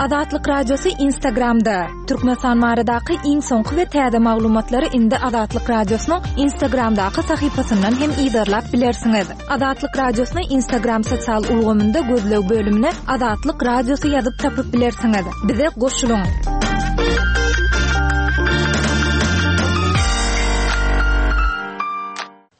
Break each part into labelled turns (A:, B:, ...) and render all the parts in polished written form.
A: Azatlyk Radiosy Instagramda, Türkmenistan baradaky iň soňky we täze maglumatlary indi Azatlyk Radiosynyň Instagramdaky sahypasyndan hem yzarlap bilersiňiz. Azatlyk Radiosyny Instagram sosial ulgamynda gözleg bölümine Azatlyk Radiosy ýazyp tapyp bilersiňiz. Bize goşulyň!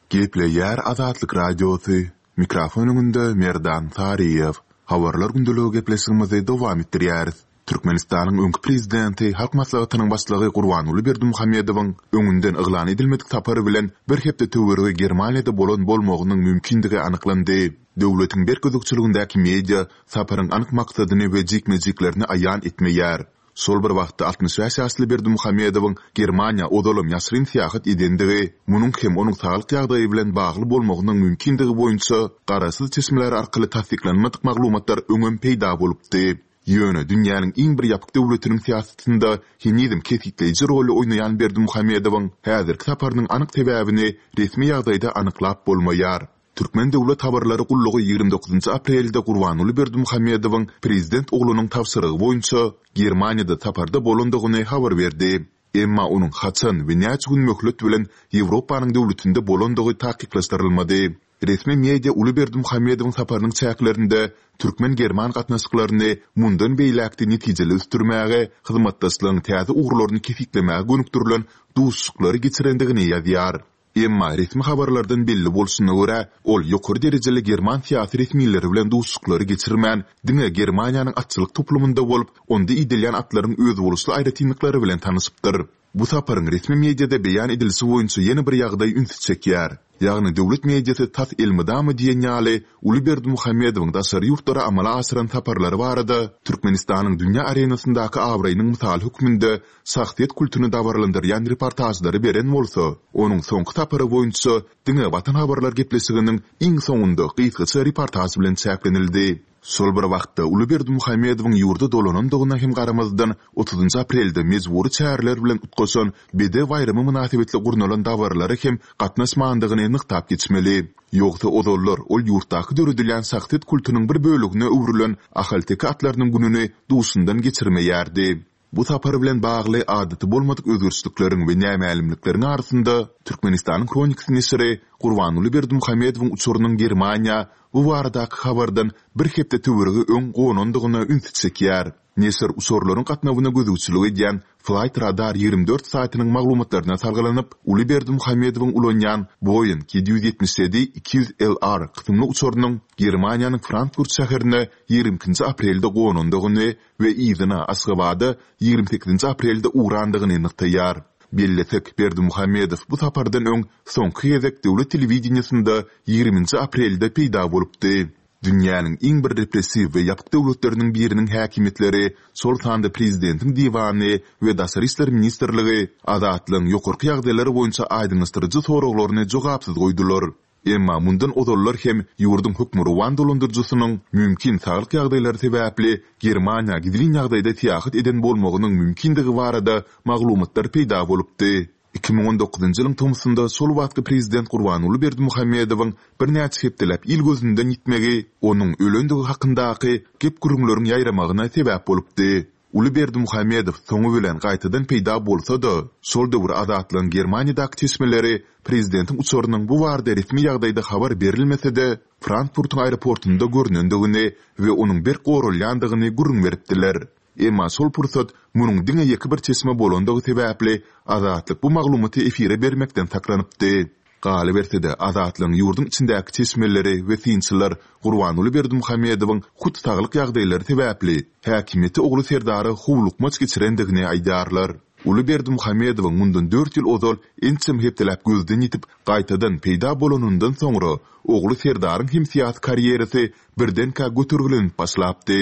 B: Gepleýär Azatlyk Radiosy, Mikrofon öňünde Merdan Saryýew. Habarlar gündeligi gepleşigimizi dowam etdirýäris. Türkmenistanyň öňki prezidenti, Halk Maslahatynyň Başlygy Gurbanguly Berdimuhamedowyň öňünden yglan edilmedik sapary bilen bir hepde töweregi Germaniýada bolan bolmagynyň mümkindigi anyklandy. Döwletiň berk gözegçiligindäki media saparyň anyk maksadyny we jikme-jiklerini aýan etmeýär. Şol bir wagtda 65 ýaşly Berdimuhamedowyň Germaniýa ozalam ýaşyryn syýahat edendigi, munuň hem onuň saglyk ýagdaýy bilen bagly bolmagynyň mümkindigi boýunça garaşsyz çeşmeler arkaly tassyklanmadyk maglumatlar öňem peýda bolupdy. Ýöne dünýäniň iň bir ýapyk döwletiniň syýasatynda henizem kesgitleýji roly oýnaýan Berdimuhamedowyň häzirki saparynyň anyk sebäbini resmi ýagdaýda anyklap bolmaýar. Türkmen döwlet habarlary gullugy 29 aprelde Gurbanguly Berdimuhamedowyň prezident oglunyň tabşyrygy boýunça Germaniýada saparda bolandygyny habar berdi. Emma onuň haçan we näçe gün möhlet bilen Ýewropanyň döwletinde bolandygy takyklaşdyrylmady. Resmi media uly Berdimuhamedowyň saparynyň çäklerinde türkmen-german gatnaşyklaryny mundan beýläk-de netijeli ösdürmäge, hyzmatdaşlygyň täze ugurlaryny kesgitlemäge gönükdirilen duşuşyklary geçirendigini ýazýar. Emma resmi habarlardan belli bolşuna görä, ol ýokary derejeli german syýasy resmileri bilen duşuşyklary geçirmän, diňe Germaniýanyň atçylyk toplumynda bolup, onda idelýän atlaryň özboluşly aýratynlyklary bilen tanyşypdyr. Bu saparyň resmi mediada beýan edilişi boýunça ýene bir ýagdaý ünsi çekýär. Ýagny döwlet mediasy tas elmydama diýen ýaly uly Berdimuhamedowyň daşary ýurtlara amala aşyran saparlary barada Türkmenistanyň dünýä arenasyndaky abraýynyň mysaly hökmünde şahsyýet kultuny dabaralandyrýan reportažlary beren bolsa, onuň soňky sapary boýunça diňe Watan habarlar gepleşiginiň iň soňunda gysgaça reportaž bilen çäklenildi. Şol bir wagtda, uly Berdimuhamedowyň ýurda dolanandygyna hem garamazdan, otuzynjy aprelde mejbury çäreler bilen utgaşan Bedew baýramy mynasybetli gurnalan dabaralara hem gatnaşmandygyny nygtap geçmeli. Ýogsa ozallar ol ýurtdaky döredilýän şahsyýet kultunyň bir bölegine öwrülen ahalteke atlarynyň gününi duşundan geçirmeýärdi. Bu sapar bilen bagly adaty bolmadyk özgerişlikleriň we nämälimlikleriň arasynda, Türkmenistanyň Hronikasy neşiri Gurbanguly Berdimuhamedowyň uçarynyň Germaniýa bu baradaky habardan bir hepde töweregi öň gonandygyna ünsi çekýär. Neşir uçarlaryň gatnawyna gözegçilik edýän Flight Radar 24 saýtynyň maglumatlaryna salgylanyp, uly Berdimuhamedowyň ulanýan Boeing 777 200 LR kysymly uçarynyň Germaniýanyň Frankfurt şäherine 22-nji aprelde gonandygyny we yzyna Aşgabada 28-nji aprelde ugrandygyny nygtaýar. Bellesek, Berdimuhamedow bu sapardan öň soňky gezek döwlet telewideniýesinde 20-nji aprelde peýda bolupdy. Dünýäniň iň bir repressiw we ýapyk döwletleriniň biriniň häkimiýetleri, şol sanda prezidentiň diwany we Daşary işler ministrligi Azatlygyň ýokarky ýagdaýlar boýunça aýdyňlaşdyryjy soraglaryny jogapsyz goýdular. Emma mundan ozallar hem ýurduň hökmürowan dolandyryjysynyň mümkin saglyk ýagdaýlary sebäpli Germaniýa gizlin ýagdaýda syýahat eden bolmagynyň mümkindigi barada maglumatlar peýda bolupdy. 2019-njy ýylyň tomsunda şol wagtky prezident Gurbanguly Berdimuhamedowyň birnäçe hepdeläp il gözünden ýitmegi onuň ölendigi hakyndaky gep-gürrüňleriň ýaýramagyna sebäp bolupdy. Uly Berdimuhamedow soňy bilen gaýtadan peýda bolsa-da, şol döwür Azatlygyň Germaniýadaky çeşmeleri prezidentiň uçarynyň bu barada resmi ýagdaýda habar berilmese-de, Frankfurtyň aeroportunda görnendigini we onuň berk goralýandygyny gürrüň beripdiler. Emma şol pursat munuň diňe ýeke bir çeşme bolandygy sebäpli, Azatlyk bu maglumaty efire bermekden saklanypdy. Galyberse-de, Azatlygyň ýurduň içindäki çeşmeleri we synçylar Gurbanguly Berdimuhamedowyň hut saglyk ýagdaýlary sebäpli häkimiýeti ogly Serdara howlukmaç geçirendigini aýdýarlar. Uly Berdimuhamedowyň mundan dört ýyl ozal ençeme hepdeläp gözden ýitip, gaýtadan peýda bolanyndan soňra, ogly Serdaryň hem syýasy karýerasy birdenkä götergilenip başlapdy.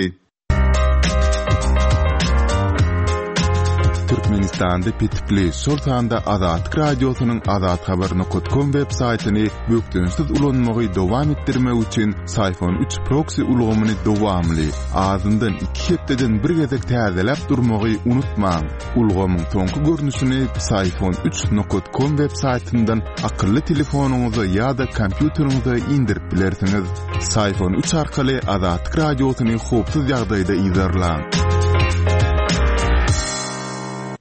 B: Türkmenistanda petikli, şol sanda Azatlyk Radiosynyň azathabar nokat kom web saýtyny bökdençsiz ulanmagy dowam etdirmek üçin Syfon üç proksi ulgamyny dowamly, azyndan iki hepdeden bir gezek täzeläp durmagy unutmaň. Ulgamyň soňky görnüşini Psiphon üç nokat kom web saýtyndan akylly telefonyňyza ýa-da kompýuteriňize indirip bilersiňiz. Psiphon üç arkaly Azatlyk Radiosyny howpsuz ýagdaýda yzarlaň.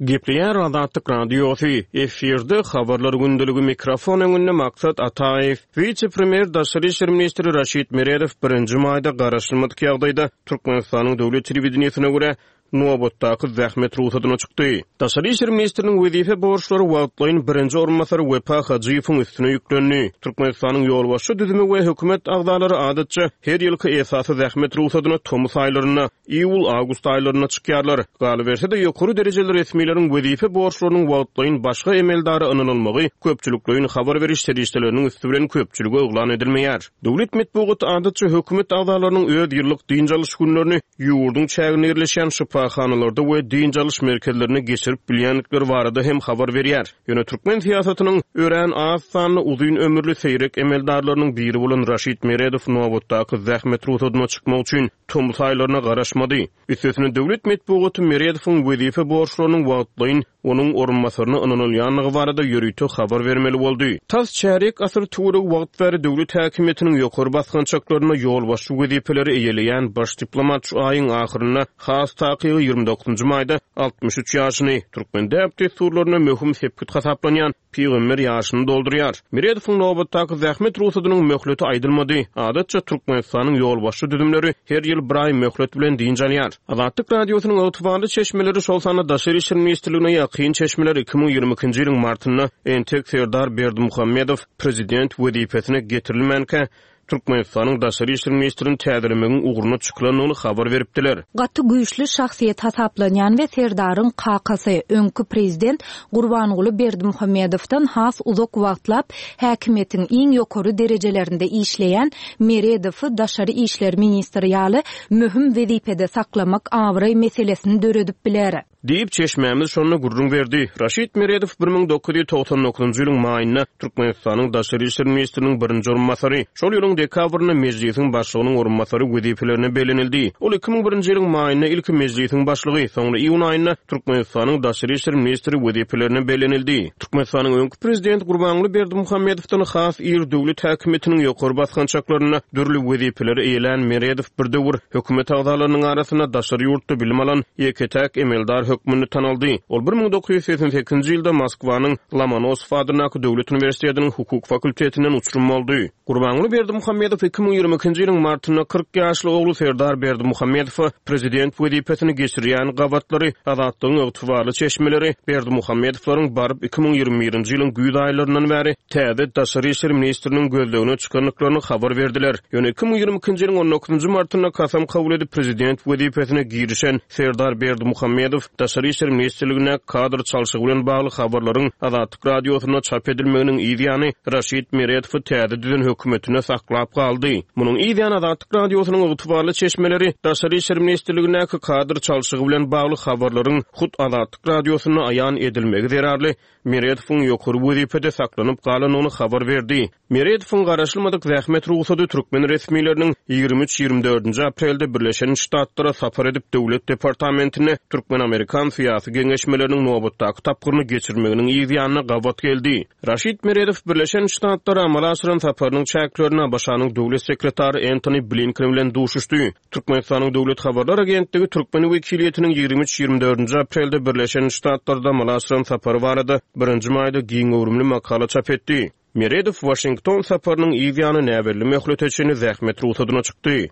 C: Gepleýär Azatlyk Radiosy, efirde Habarlar gündeligi mikrofon öňünde Maksat Ataýew. Wise-premýer, daşary işler ministri Raşid Meredow birinji maýda garaşylmadyk ýagdaýda Türkmenistanyň döwlet telewideniýesine görä, nobatdaky zähmet rugsadyna çykdy. Daşary işler ministriniň wezipe borçlary wagtlaýyn birinji orunbasary Wepa Hajyýewiň üstüne ýüklendi. Türkmenistanyň ýolbaşçy düzümi we hökümet agzalary adatça her ýylky esasy zähmet rugsadyna tomus aýlarynda, iýul-awgust aýlarynda çykýarlar. Galyberse-de, ýokary derejeli resmileriň wezipe borçlarynyň wagtlaýyn başga emeldara ynanylmagy köpçülikleýin habar beriş serişdeleriniň üsti bilen köpçülige yglan edilmeýär. Döwlet metbugaty adatça hökümet agzalarynyň öz ýyllyk dynç alyş günlerini ýurduň çäginde ýerleşýän şypahanalarda we dynç alyş merkezlerinde geçirip bilýändikleri barada hem habar berýär. Ýöne türkmen syýasatynyň örän az sanly uzyn ömürli seýrek emeldarlarynyň biri bolan Raşid Meredow nobatdaky zähmet rugsadyna çykmak üçin tomus aýlaryna garaşmady. Üstesine döwlet metbugaty Meredowyň wezipe borçlarynyň wagtlaýyn onuň orunbasaryna ynanylýandygy barada ýörite habar bermeli boldy. Tas çärýek asyr töweregi wagt bäri döwlet häkimiýetiniň ýokary basgançaklarynda ýolbaşçy wezipeleri eýeleýän baş diplomat şu aýyň ahyrynda, has takygy 29 maýda 63 ýaşyny, türkmen däp-dessurlarynda möhüm sepgit hasaplanýan Pygamber ýaşyny doldurýar. Meredowyň nobatdaky zähmet rugsadynyň möhleti aýdylmady. Adatça, Türkmenistanyň ýolbaşçy düzümleri her ýyl bir aý möhlet bilen dynç alýar. Azatlyk Radiosynyň ygtybarly çeşmeleri, şol sanda Daşary işler ministrligine ýakyn çeşmeler 2022-nji ýylyň martynda entek Serdar Berdimuhamedow prezident wezipesine getirilmänkä, Türkmenistanyň daşary işler ministrini täzelemegiň ugruna çykylandygyny habar beripdiler.
A: Gaty güýçli şahsyýet hasaplanýan we Serdaryň kakasy, öňki prezident Gurbanguly Berdimuhamedowdan has uzak wagtlap häkimiýetiň iň ýokary derejelerinde işleýän Meredowy daşary işler ministri ýaly möhüm wezipede saklamak abraý meselesini döredip biler.
C: Diýip, çeşmämiz şonda gürrüň berdi. Raşid Meredow 1999-njy ýylyň maýynda Türkmenistanyň daşary işler ministriniň birinji orunbasary, şol ýylyň dekabrynda Mejlisiň Başlygynyň orunbasary wezipelerine bellenildi. Ol 2001-nji ýylyň maýynda ilki Mejlisiň Başlygy, soňra iýun aýynda Türkmenistanyň daşary işler ministri wezipelerine bellenildi. Türkmenistanyň öňki prezidenti Gurbanguly Berdimuhamedowdan has ir döwlet häkimiýetiniň ýokary basgançaklarynda dürli wezipeleri eýelän Meredow bir döwür hökümet agzalarynyň arasynda daşary ýurtda bilim alan ýeke-täk emeldar hökmünde tanaldy. Ol 1988-nji ýylda Moskwanyň Lomonosow adyndaky döwlet uniwersitetiniň hukuk fakultetinden uçurym boldy. Gurbanguly Berdimuhamedow 2022-nji ýylyň martynda 40 ýaşly ogly Serdar Berdimuhamedowa prezident wezipesini geçirýän gabatlary Azatlygyň ygtybarly çeşmeleri Berdimuhamedowlaryň baryp 2021-nji ýylyň güýz aýlaryndan bäri täze daşary işler ministriniň gözlegine çykandyklaryny habar berdiler. Ýöne 2022-nji ýylyň on dokuzynjy martynda kasam kabul edip prezident wezipesine girişen Serdar Berdimuhamedow Daşary işler ministrligindäki kadr çalşygy bilen bagly habarlaryň Azatlyk Radiosynda çap edilmeginiň yz ýany Raşid Meredowy täze düzen hökümetinde saklap galdy. Munuň yz ýany Azatlyk Radiosynyň ygtybarly çeşmeleri Daşary işler ministrligindäki kadr çalşygy bilen bagly habarlaryň hut Azatlyk Radiosynda aýan edilmegi zerarly Meredowyň ýokary wezipede saklanyp galandygyny habar berdi. Meredowyň garaşylmadyk zähmet rugsady türkmen resmileriniň 23, 24-nji aprelde Birleşen Ştatlara sapar edip, Döwlet departamentinde türkmen-amerikan syýasy geňeşmeleriniň nobatdaky tapgyryny geçirmeginiň yz ýanyna gabat geldi. Raşid Meredow Birleşen Ştatlara amala aşyran saparynyň çäklerinde ABŞ-nyň Döwlet sekretary Entoni Blinken bilen duşuşdy. Türkmenistanyň Döwlet habarlar agentligi türkmen wekiliýetiniň 23, 24-nji aprelde Birleşen Ştatlarda amala aşyran sapary barada birinji maýda giň göwrümli makala çap etdi. Meredow Waşington saparynyň yz ýany näbelli möhlete çenli zähmet rugsadyna çykdy.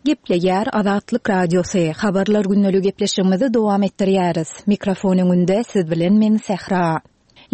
A: Gepleýär Azatlyk Radiosy, Habarlar gündeligi gepleşigimizi dowam etdirýäris. Mikrofon öňünde siz bilen men Sähra.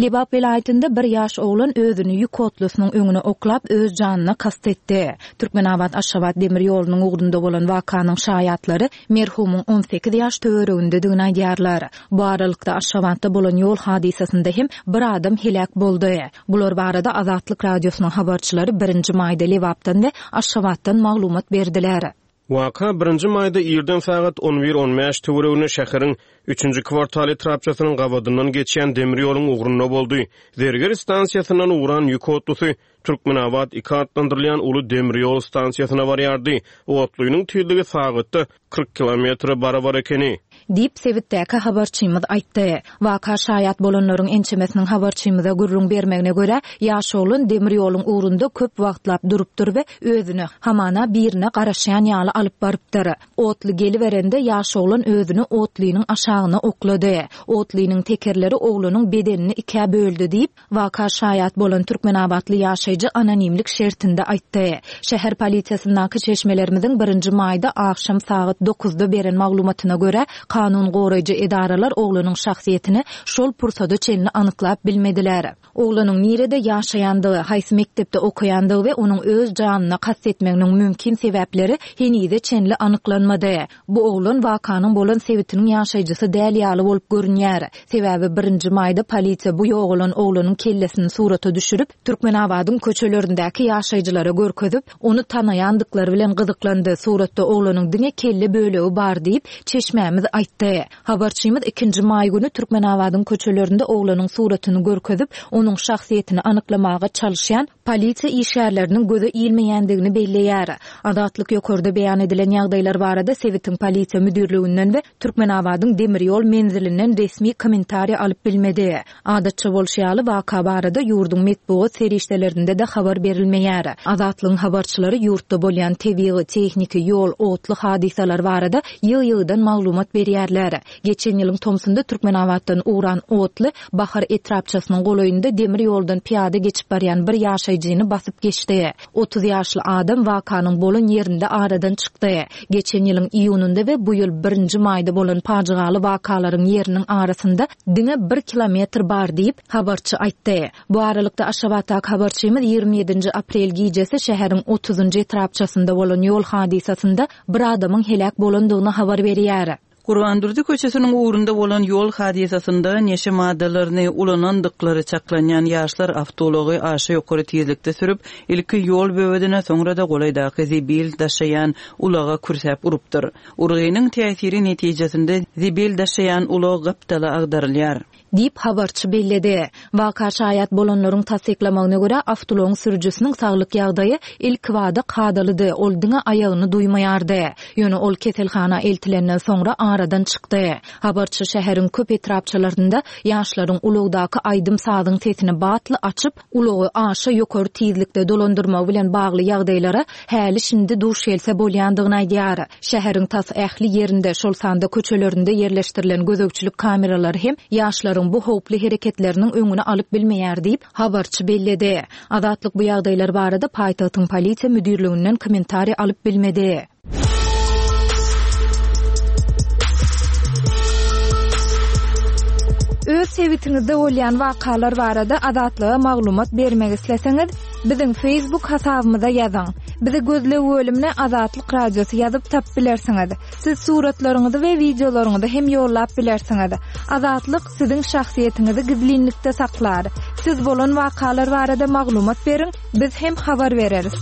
A: Lebap welaýatynda bir ýaş oglan özüni ýük otlusynyň öňüne oklap öz janyna kast etdi. Türkmenabat-Aşgabat demir ýolunyň ugrunda bolan wakanyň şaýatlary merhumyň 18 ýaş töweregindedigini aýdýarlar. Bu aralykda, Aşgabatda bolan ýol hadysasynda hem bir adam heläk boldy. Bular barada Azatlyk Radiosynyň habarçylary birinji maýda Lebapdan we Aşgabatdan maglumat berdiler.
C: Waka birinji maýda irden sagat on bir on bäş töwereginde şäheriň Üçünji kwartal etrapçasynyň gabadyndan geçýän demir ýoluň ugrunda boldy. Zerger stansiýasyndan ugran ýük otlusy Türkmenabat iki atlandyrylýan uly demir ýol stansiýasyna barýardy. Otlynyň tizligi sagatda 40 kilometre barabar ekeni.
A: Diýip, sebitdäki habarçymyz aýtdy. Waka şaýat bolanlaryň ençemesiniň habarçymyza gürrüň bermegine görä, ýaş oglan demir ýoluň ugrunda köp wagtlap durupdyr we özüni, hamana, birine garaşýan ýaly alyp barypdyr. Otly geliberende, ýaş oglan özüni otlynyň aşagyna oklady. Otlynyň tekerleri oglanyň bedenini ikä böldi diýip, Waka şaýat bolan türkmenabatly ýaşaýjy anonimlik şertinde aýtdy. Şäher polisiýasyndaky çeşmelerimiziň birinji maýda agşam sagat dokuzda beren maglumatyna görä, kanun goraýjy edaralar oglanyň şahsyýetini şol pursada çenli anyklap bilmediler. Oglanyň nirede ýaşaýandygy, haýsy mekdepde okaýandygy we onuň öz janyna kast etmeginiň mümkin sebäpleri henize çenli anyklanmady. Bu oglan wakanyň bolan sebitiniň ýaşaýjysy däl ýaly bolup görünýär. Sebäbi birinji maýda polisiýa bu ýogalan oglanyň kellesini surata düşürip, Türkmenabadyň köçelerindäki ýaşaýjylara görkezip, ony tanaýandyklary bilen gyzyklandy, suratda oglanyň diňe kelle bölegi bar diýip, çeşmämiz aýtdy. Habarçymyz ikinji maý güni Türkmenabadyň köçelerinde oglanyň suratyny görkezip, onuň şahsyýetini anyklamaga çalyşýan polisiýa işgärleriniň göze ilmeýändigini belleýär. Azatlyk ýokarda beýan edilen ýagdaýlar barada sebitiň polisiýa müdirliginden we Türkmenabadyň demir ýol menzilinden resmi kommentariý alyp bilmedi. Adatça bolşy ýaly, waka barada ýurduň metbugat serişdelerinde-de habar berilmeýär. Azatlygyň habarçylary ýurtda bolýan tebigy, tehniki, ýol, otly hadysalar barada ýygy-ýygydan maglumat berýärler. Geçen ýylyň tomsunda Türkmenabatdan ugran otly Bahar etrapçasynyň golaýynda demir ýoldan pyýada geçip barýan bir ýaşaýjyny basyp geçdi. 30 ýaşly adam wakanyň bolan ýerinde aradan çykdy. Geçen ýylyň iýunynda we bu ýyl birinji maýda bolan pajygaly wakalaryň ýeriniň arasynda diňe bir kilometr bar diýip, habarçy aýtdy. Bu aralykda, Aşgabatdaky habarçymyz 27 nji aprel gijesi şäheriň otuzynjy etrapçasynda bolan ýol hadysasynda bir adamyň heläk bolandygyny habar berýär.
D: Gurbandurdy köçesiniň ugrunda bolan ýol hadysasynda neşe maddalaryny ulanandyklary çaklanýan ýaşlar awtoulagy aşa ýokary tizlikde sürüp, ilki ýol böwedine, soňra-da golaýdaky zibil daşaýan ulaga kürsäp urupdyr. Urgynyň täsiri netijesinde zibil daşaýan ulag gapdala agdarylýar.
A: Diýip, habarçy belledi. Waka şaýat bolanlaryň tassyklamagyna görä, awtoulagyň sürüjisiniň saglyk ýagdaýy ilkibada kadalydy, ol diňe aýagyny duýmaýardy. Ýöne ol keselhana eltilenden soňra aradan çykdy. Habarçy şäheriň köp etrapçalarynda ýaşlaryň ulagdaky aýdym-sazyň sesini batly açyp, ulagy aşa ýokary tizlikde dolandyrmagy bilen bagly ýagdaýlara häli-şindi duş gelse bolýandygyny aýdýar. Şäheriň tas ähli ýerinde, şol sanda köçelerinde ýerleşdirilen gözegçilik kameralary hem ýaşlaryň bu howply hereketleriniň öňüni alyp bilmeýär diýip, habarçy belledi. Azatlyk bu ýagdaýlar barada paýtagtyň polisiýa müdirliginden kommentariý alyp bilmedi.
E: Öz sebitiňizde bolýan wakalar barada Azatlyga maglumat bermek isleseňiz, biziň Facebook hasabymyza ýazyň. Bizi gözleg bölümine Azatlyk Radiosy ýazyp tapyp bilersiňiz. Siz suratlaryňyzy we wideolaryňyzy hem ýollap bilersiňiz. Azatlyk siziň şahsyýetiňizi gizlinlikde saklar. Siz bolan wakalar barada maglumat beriň, biz hem habar bereris.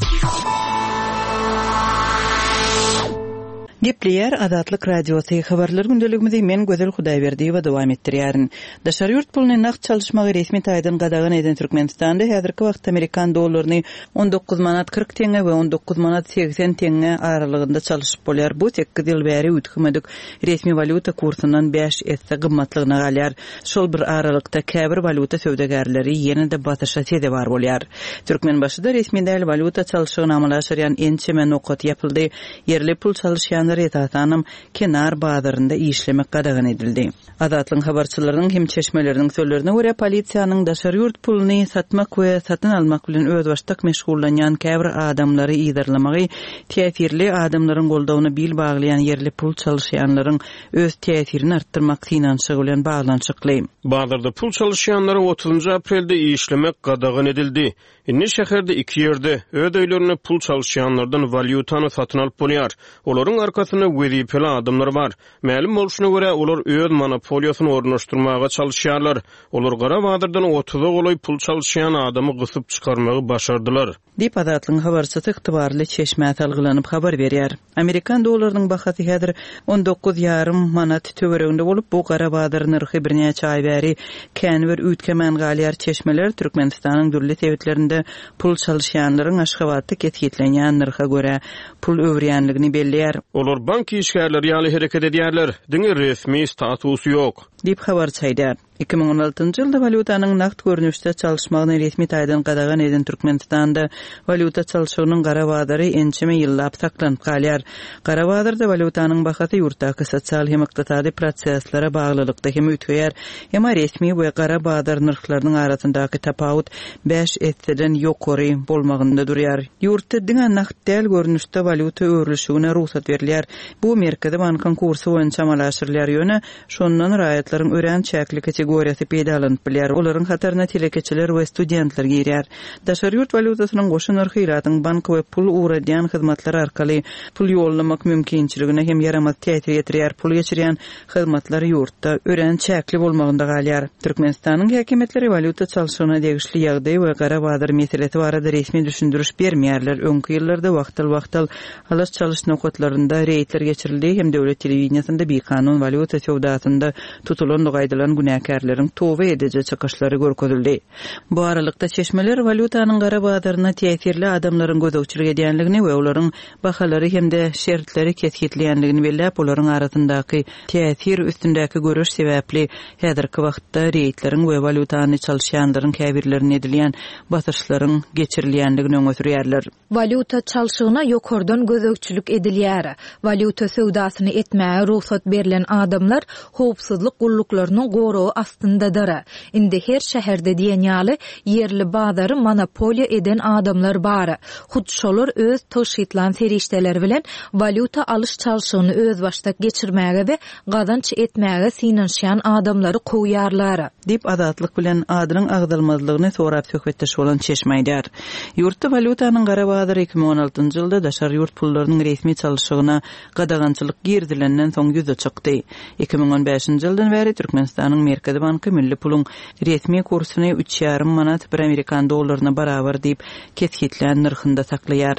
D: Gepleýär Azatlyk Radiosy, Habarlar gündeligimizi men Gözel Hudaýberdiýewa dowam etdirýärin. Daşary ýurt puluny nagt çalyşmagy resmi taýdan gadagan eden Türkmenistanda häzirki wagtda amerikan dollaryny 19 manat 40 teňňe we 19 manat 80 teňňe aralygynda çalyşyp bolýar. Bu sekiz ýyl bäri üýtgemedik resmi walýuta kursundan bäş esse gymmatlygyna galýar. Şol bir aralykda käbir walýuta söwdagärleri ýene-de basyşa sezewar bolýar. Türkmenbaşyda resmi däl walýuta çalşygyny amala aşyrýan ençeme nokat ýapyldy. Ýerli pul çalyşýanlara esasanam kenar bazarynda işlemek gadagan edildi. Azatlygyň habarçylarynyň hem çeşmeleriniň sözlerine görä, polisiýanyň daşary ýurt puluny satmak we satyn almak bilen özbaşdak meşgullanýan käbir adamlary yzarlamagy täsirli adamlaryň goldawyna bil baglaýan ýerli pul çalyşýanlaryň öz täsirini artdyrmak synanyşygy bilen baglanyşykly.
C: Bazarda pul çalyşýanlara otuzynjy aprelde işlemek gadagan edildi. Indi şäherde iki ýerde, öz öýlerinde pul çalyşýanlardan walýutany satyn alyp bolýar. Olaryň arkasynda. arkasynda wezipeli adamlar bar. Mälim bolşuna görä, olar öz monopoliýasyny ornaşdyrmaga çalyşýarlar. Olar gara bazardan otuza golaý pul çalyşýan adamy gysyp çykarmagy başardylar.
D: Diýip, Azatlygyň habarçysy ygtybarly çeşmä salgylanyp habar berýär. Amerikan dollarynyň bahasy häzir 19 ýarym manat töwereginde bolup, bu gara bazar nyrhy birnäçe aý bäri känbir üýtgemän galýar. Çeşmeler Türkmenistanyň dürli sebitlerinde pul çalyşýanlaryň Aşgabatda kesgitlenýän nyrha görä pul öwürýänligini belleýär.
C: Olar bank işgärleri ýaly hereket edýärler, diňe resmi statusy ýok.
D: Diýip, habarçy aýdýar. 2016-njy ýylda walýutanyň nagt görnüşde çalyşmagyny resmi taýdan gadagan eden Türkmenistanda walýuta çalşygynyň gara bazary ençeme ýyllap saklanyp galýar. Gara bazarda walýutanyň bahasy ýurtdaky sosial hem ykdysady proseslere baglylykda hem üýtgeýär. Emma resmi we gara bazar nyrhlarynyň arasyndaky tapawut bäş esseden ýokary bolmagynda durýar. Ýurtda diňe nagt däl görnüşde walýuta öwrülişigine rugsat berilýär. Bu Merkezi bankyň kursy boýunça amala aşyrylýar, ýöne Şondan raýatlaryň örän çäkli kategoriýasy peýdalanyp bilýär, olaryň hataryna telekeçiler we studentler girýär. Daşary ýurt walýutasynyň goşa nyrhy ilatyň bank we pul ugradýan hyzmatlar arkaly pul ýollamak mümkinçiligine hem ýaramaz täsir ýetirýär, pul geçirýän hyzmatlar ýurtda örän çäkli bolmagynda galýar. Türkmenistanyň häkimiýetleri walýuta çalşygyna degişli ýagdaý we gara bazar meselesi barada resmi düşündiriş bermeýärler, öňki ýyllarda wagtal-wagtal Alyş-çalyş nokatlarynda reýdler geçirildi hem döwlet telewideniýesinde bikanun walýuta söwdasynda tutulandygy aýdylan günäkärleriň toba ediji çykyşlary görkezildi. Bu aralykda, çeşmeler walýutanyň gara bazaryna täsirli adamlaryň gözegçilik edýändigini we olaryň bahalary hem-de şertleri kesgitleýändigini belläp, olaryň arasyndaky täsir üstündäki göreş sebäpli häzirki wagtda reýdleriň we walýutany çalyşýanlaryň käbirlerine edilýän basyşlaryň geçirilýändigini öňe sürýärler.
A: Walýuta çalşygyna ýokardan gözegçilik edilýär. Walýuta söwdasyny etmäge rugsat berlen adamlar howpsuzlyk gulluklarynyň goragy astyndadyr. Indi her şäherde diýen ýaly ýerli bazary monopoliýa eden adamlar bar. Hut şolar öz tygşytlan serişdeleri bilen walýuta alyş-çalşygyny özbaşdak geçirmäge we gazanç etmäge synanyşýan adamlary kowýarlar.
D: Diýip, Azatlyk bilen adynyň agzalmazlygyny sorap söhbetdeş bolan çeşme aýdýar. Ýurtda walýutanyň gara bazary 2016-njy ýylda daşary ýurt pullarynyň resmi çalşygyna gadagançylyk girizilenden soň ýüze çykdy. 2015-nji ýyldan bäri Türkmenistanyň Merkezi banky milli puluň resmi kursuny üç ýarym manat bir amerikan dollaryna barabar diýip kesgitlän nyrhynda saklaýar.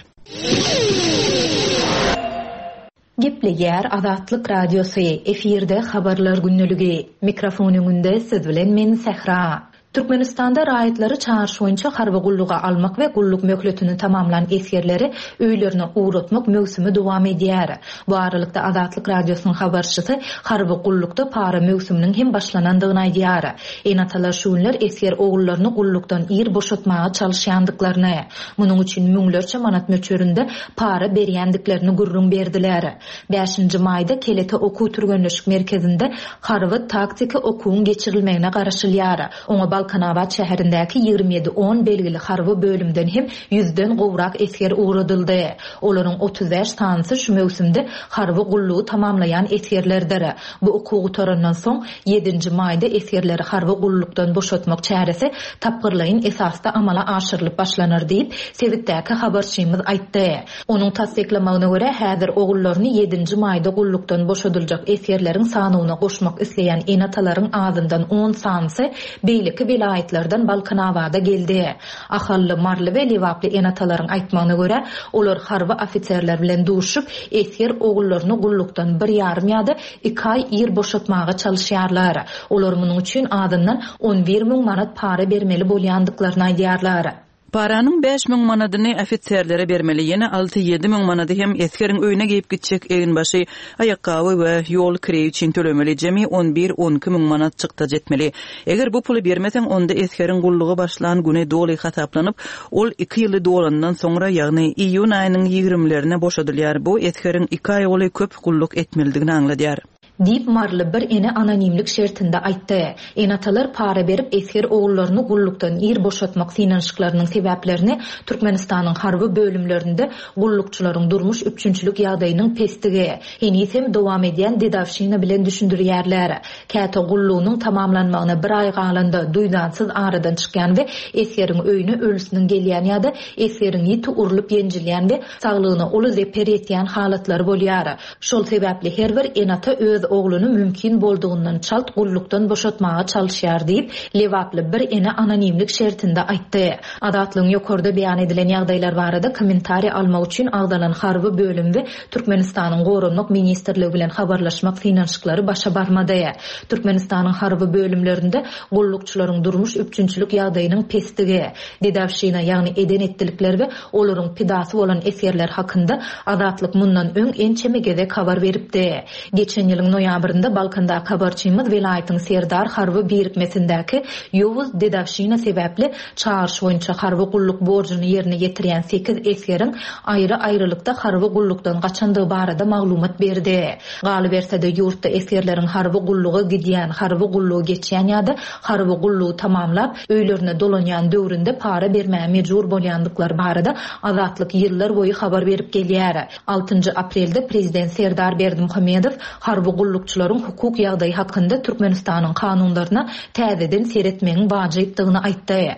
A: Gepleýär Azatlyk Radiosy, efirde Habarlar gündeligi. Mikrofon öňünde siz bilen men Sähra. Türkmenistanda raýatlary çagyryş boýunça harby gulluga almak we gulluk möhletini tamamlan esgerleri öýlerine ugratmak möwsümi dowam edýär. Bu aralykda Azatlyk Radiosynyň habarçysy harby gullukda para möwsüminiň hem başlanandygyny aýdýar. Ene-atalar şu günler esger ogullaryny gullukdan ir boşatmaga çalyşýandyklaryny, munuň üçin müňlerçe manat möçberinde para berýändiklerini gürrüň berdiler. Bäşinji maýda Kelete okuw-türgenleşik merkezinde harby-taktiki okuwyň geçirilmegine garaşylýar. Oňa Balkanabat şäherindäki 27 on belgili harby bölümden hem ýüzden gowrak esger ugradyldy. Olaryň 35 sanysy şu möwsümde harby gullugy tamamlaýan esgerlerdir. Bu okuw gutarandan soň, ýedinji maýda esgerleri harby gullukdan boşatmak çäresi tapgyrlaýyn esasda amala aşyrylyp başlanar diýip, sebitdäki habarçymyz aýtdy. Onuň tassyklamagyna görä, häzir ogullaryny ýedinji maýda gullukdan boşadyljak esgerleriň sanawyna goşmak isleýän ene-atalaryň azyndan on sanysy beýleki welaýatlardan Balkanabada geldi. Ahally, maryly we lebaply ene-atalaryň aýtmagyna görä, olar harby ofiserler bilen duşup, esger ogullaryny gullukdan bir ýarym ýa-da iki aý ir boşatmaga çalyşýarlar. Olar munuň üçin azyndan 11 müň manat para bermeli bolýandyklaryny aýdýarlar.
D: Paranyň 5000 manadyny ofiserlere bermeli, ýene 6-7 müň manady hem esgeriň öýüne geýip gitjek eginbaşy, aýakgaby we ýol kireýi üçin tölemeli, jemi 11-12 müň manat çykdajy etmeli. Eger bu puly bermeseň, onda esgeriň gulluga başlan güni doly hasaplanyp, ol iki ýyly dolandan soňra, ýagny iýun aýynyň ýigrimilerine boşadylýar. Bu esgeriň iki aý golaý köp gulluk etmelidigini aňladýar.
A: Diýip, maryly bir ene anonimlik şertinde aýtdy. Ene-atalar para berip esger ogullaryny gullukdan ir boşatmak synanyşyklarynyň sebäplerini Türkmenistanyň harby bölümlerinde gullukçylaryň durmuş üpjünçilik ýagdaýynyň pesdigi, heniz hem dowam edýän dedowşina bilen düşündirýärler. Käte gullugynyň tamamlanmagyna bir aý galanda, duýdansyz aradan çykýan we esgeriň öýüne ölüsiniň gelýän ýa-da esgeriň ýiti urlup-ýenjilýän we saglygyna uly zeper ýetýän halatlary bolýar. Şol sebäpli her bir ene-ata öz ogluny mümkin boldugyndan çalt gullukdan boşatmaga çalyşýar diýip, lebaply bir ene anonimlik şertinde aýtdy. Azatlygyň ýokarda beýan edilen ýagdaýlar barada kommentariý almak üçin agzalan harby bölüm we Türkmenistanyň Goranmak ministrligi bilen habarlaşmak synanyşyklary başa barmady. Türkmenistanyň harby bölümlerinde gullukçylaryň durmuş üpjünçilik ýagdaýynyň pesdigi, dedowşina, ýagny eden-etdilikler we olaryň pidasy bolan esgerler hakynda Azatlyk mundan öň ençeme gezek habar beripdi. Geçen ýylyň noýabrynda Balkandaky habarçymyz welaýatyň Serdar harby birikmesindäki ýowuz dedowşina sebäpli çagyryş boýunça harby gulluk borjuny ýerine ýetirýän sekiz esgeriň aýry-aýrylykda harby gullukdan gaçandygy barada maglumat berdi. Galyberse-de, ýurtda esgerleriň harby gulluga gidýän, harby gullugy geçýän ýa-da harby gullugy tamamlap, öýlerine dolanýan döwründe para bermäge mejbur bolýandyklary barada Azatlyk ýyllar boýy habar berip gelýär. Altynjy aprelde prezident Serdar Berdimuhamedow harby gullukçylaryň hukuk ýagdaýy hakynda Türkmenistanyň kanunlaryna täzeden seretmegiň wajypdygyny aýtdy.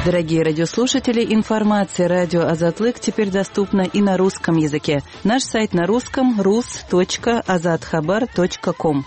D: Дорогие радиослушатели, информация радио Азатлык теперь доступна и на русском языке. Наш сайт на русском rus.azathabar.com.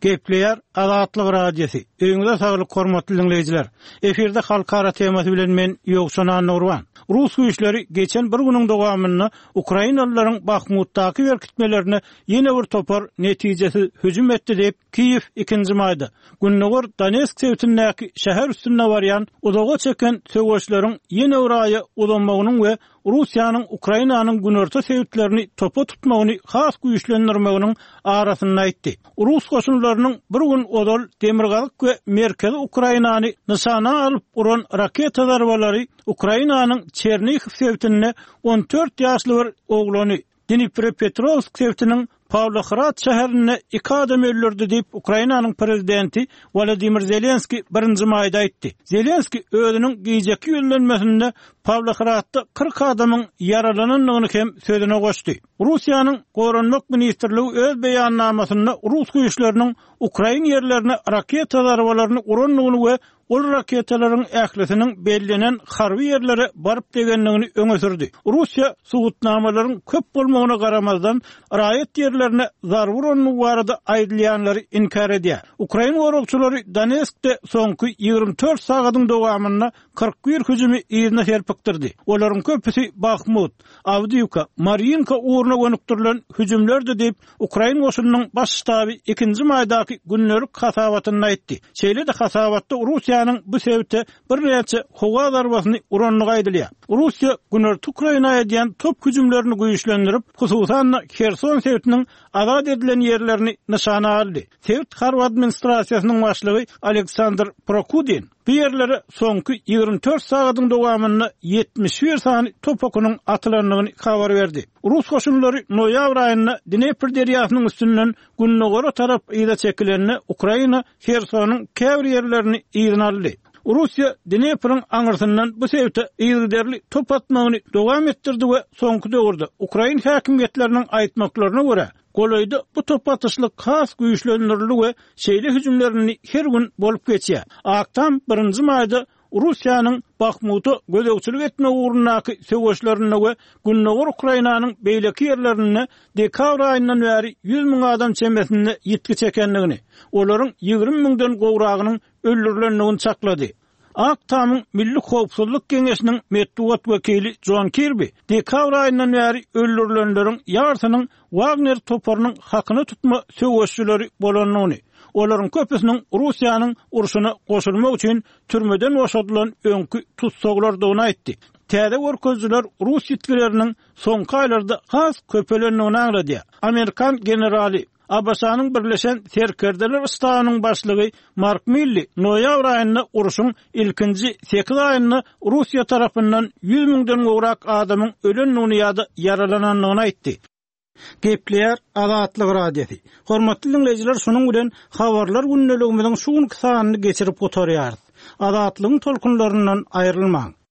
F: Gepleýär Azatlyk Radiosy. Öýüňize saglyk hormatly diňleýjiler. Efirde halkara temasy bilen men Ýowşan Annagurban. Rus güýçleri geçen bir günüň dowamynda ukrainalylaryň Bahmutdaky berkitmelerine ýene bir topar netijesiz hüjüm etdi diýip, Kiýew ikinji maýda gündogar Donetsk sebitindäki şäher üstünde barýan uzaga çeken söweşleriň ýene bir aýa uzamagynyň we Russiýanyň Ukrainanyň günorta sebitlerini topa tutmagyny has güýçlendirmeginiň arasynda aýtdy. Rus goşunlarynyň bir gün ozal demirgazyk we merkezi Ukrainany nyşana alyp uran raketa zarbalary Ukrainanyň Çernihiw sebitinde 14 ýaşly bir oglany, Dniprepetrowsk sebitiniň Pawlohrad şäherinde iki adam öldürdi diýip, Ukrainanyň prezidenti Wolodymyr Zelenskiý birinji maýda aýtdy. Zelenskiý özüniň gijeki ýüzlenmesinde Pawlohradda 40 adamyň ýaralanandygyny hem sözüne goşdy. Russiýanyň Goranmak ministrligi öz beýannamasynda rus güýçleriniň ukrain ýerlerine raketa zarbalaryny urandygyny we Ol raketalaryň ählisiniň bellenen harby ýerlere baryp degendigini öňe sürdi. Russiýa subutnamalaryň köp bolmagyna garamazdan, raýat ýerlerine zarba urandygy barada aýdylýanlary inkär edýär. Ukrain goragçylary Donetskde soňky 24 sagadyň dowamynda 41 hüjümi yzyna serpikdirdi. Olaryň köpüsi Bahmut, Awdiýwka, Marýinka ugruna gönükdirilen hüjümlerdi diýip, Ukrain goşunynyň Baş ştaby ikinji maýdaky gündelik hasabatynda aýtdy. Şeýle-de hasabatda Russiýanyň bu sebite birnäçe howa zarbasyny urandygy aýdylýar. Russiýa günorta Ukraina edýän top hüjümlerini güýçlendirip, hususan-da Herson sebitiniň azat edilen ýerlerini nyşana aldy. Sebit harby administrasiýasynyň başlygy Aleksandr Prokudin bu ýerlere soňky 24 sagadyň dowamynda 71 sany top okunyň atylandygyny habar berdi. Rus goşunlary noýabr aýynda Dnepr derýasynyň üstünden gündogara tarap yza çekilende, Ukraina Hersonyň käbir ýerlerini yzyna aldy. Russiýa Dnepriň aňyrsyndan bu sebite yzygiderli top atmagyny dowam etdirdi we soňky döwürde, ukrain häkimiýetleriniň aýtmaklaryna görä, golaýda bu top atyşlyk has güýçlendirildi we şeýle hüjümler indi her gün bolup geçýär. Ak Tam birinji maýda Russiýanyň Bahmuta gözegçilik etmek ugrundaky söweşlerinde we gündogar Ukrainanyň beýleki ýerlerinde dekabr aýyndan bäri 100 müň adam çemesinde ýitgi çekendigini, olaryň 20 müňden gowragynyň öldürilendigini çaklady. Ak Tamyň Milli howpsuzlyk geňeşiniň metbugat wekili Jon Kirbi dekabr aýyndan bäri öldürilenleriň ýarsynyň Wagner toparynyň hakyna tutma söweşçileri bolandygyny, olaryň köpüsiniň Russiýanyň urşuna goşulmak üçin türmeden boşadylan öňki tussaglardygyny aýtdy. Täze görkezijiler rus ýitgileriniň soňky aýlarda has köpelendigini aňladýar. Amerikan generaly. ABŞ-nyň Birleşen Serkerdeler ştabynyň başlygy Mark Milli noýabr aýynda urşuň ilkinji sekiz aýynda Russiýa tarapyndan 100 müňden gowrak adamyň ölendigini ýa-da ýaralanandygyny aýtdy. Gepleýär Azatlyk Radiosy. Hormatly diňleýjiler, şunuň bilen Habarlar gündeligimiziň şu günki sanyny geçirip gutarýarys. Azatlygyň tolkunlaryndan aýrylmaň!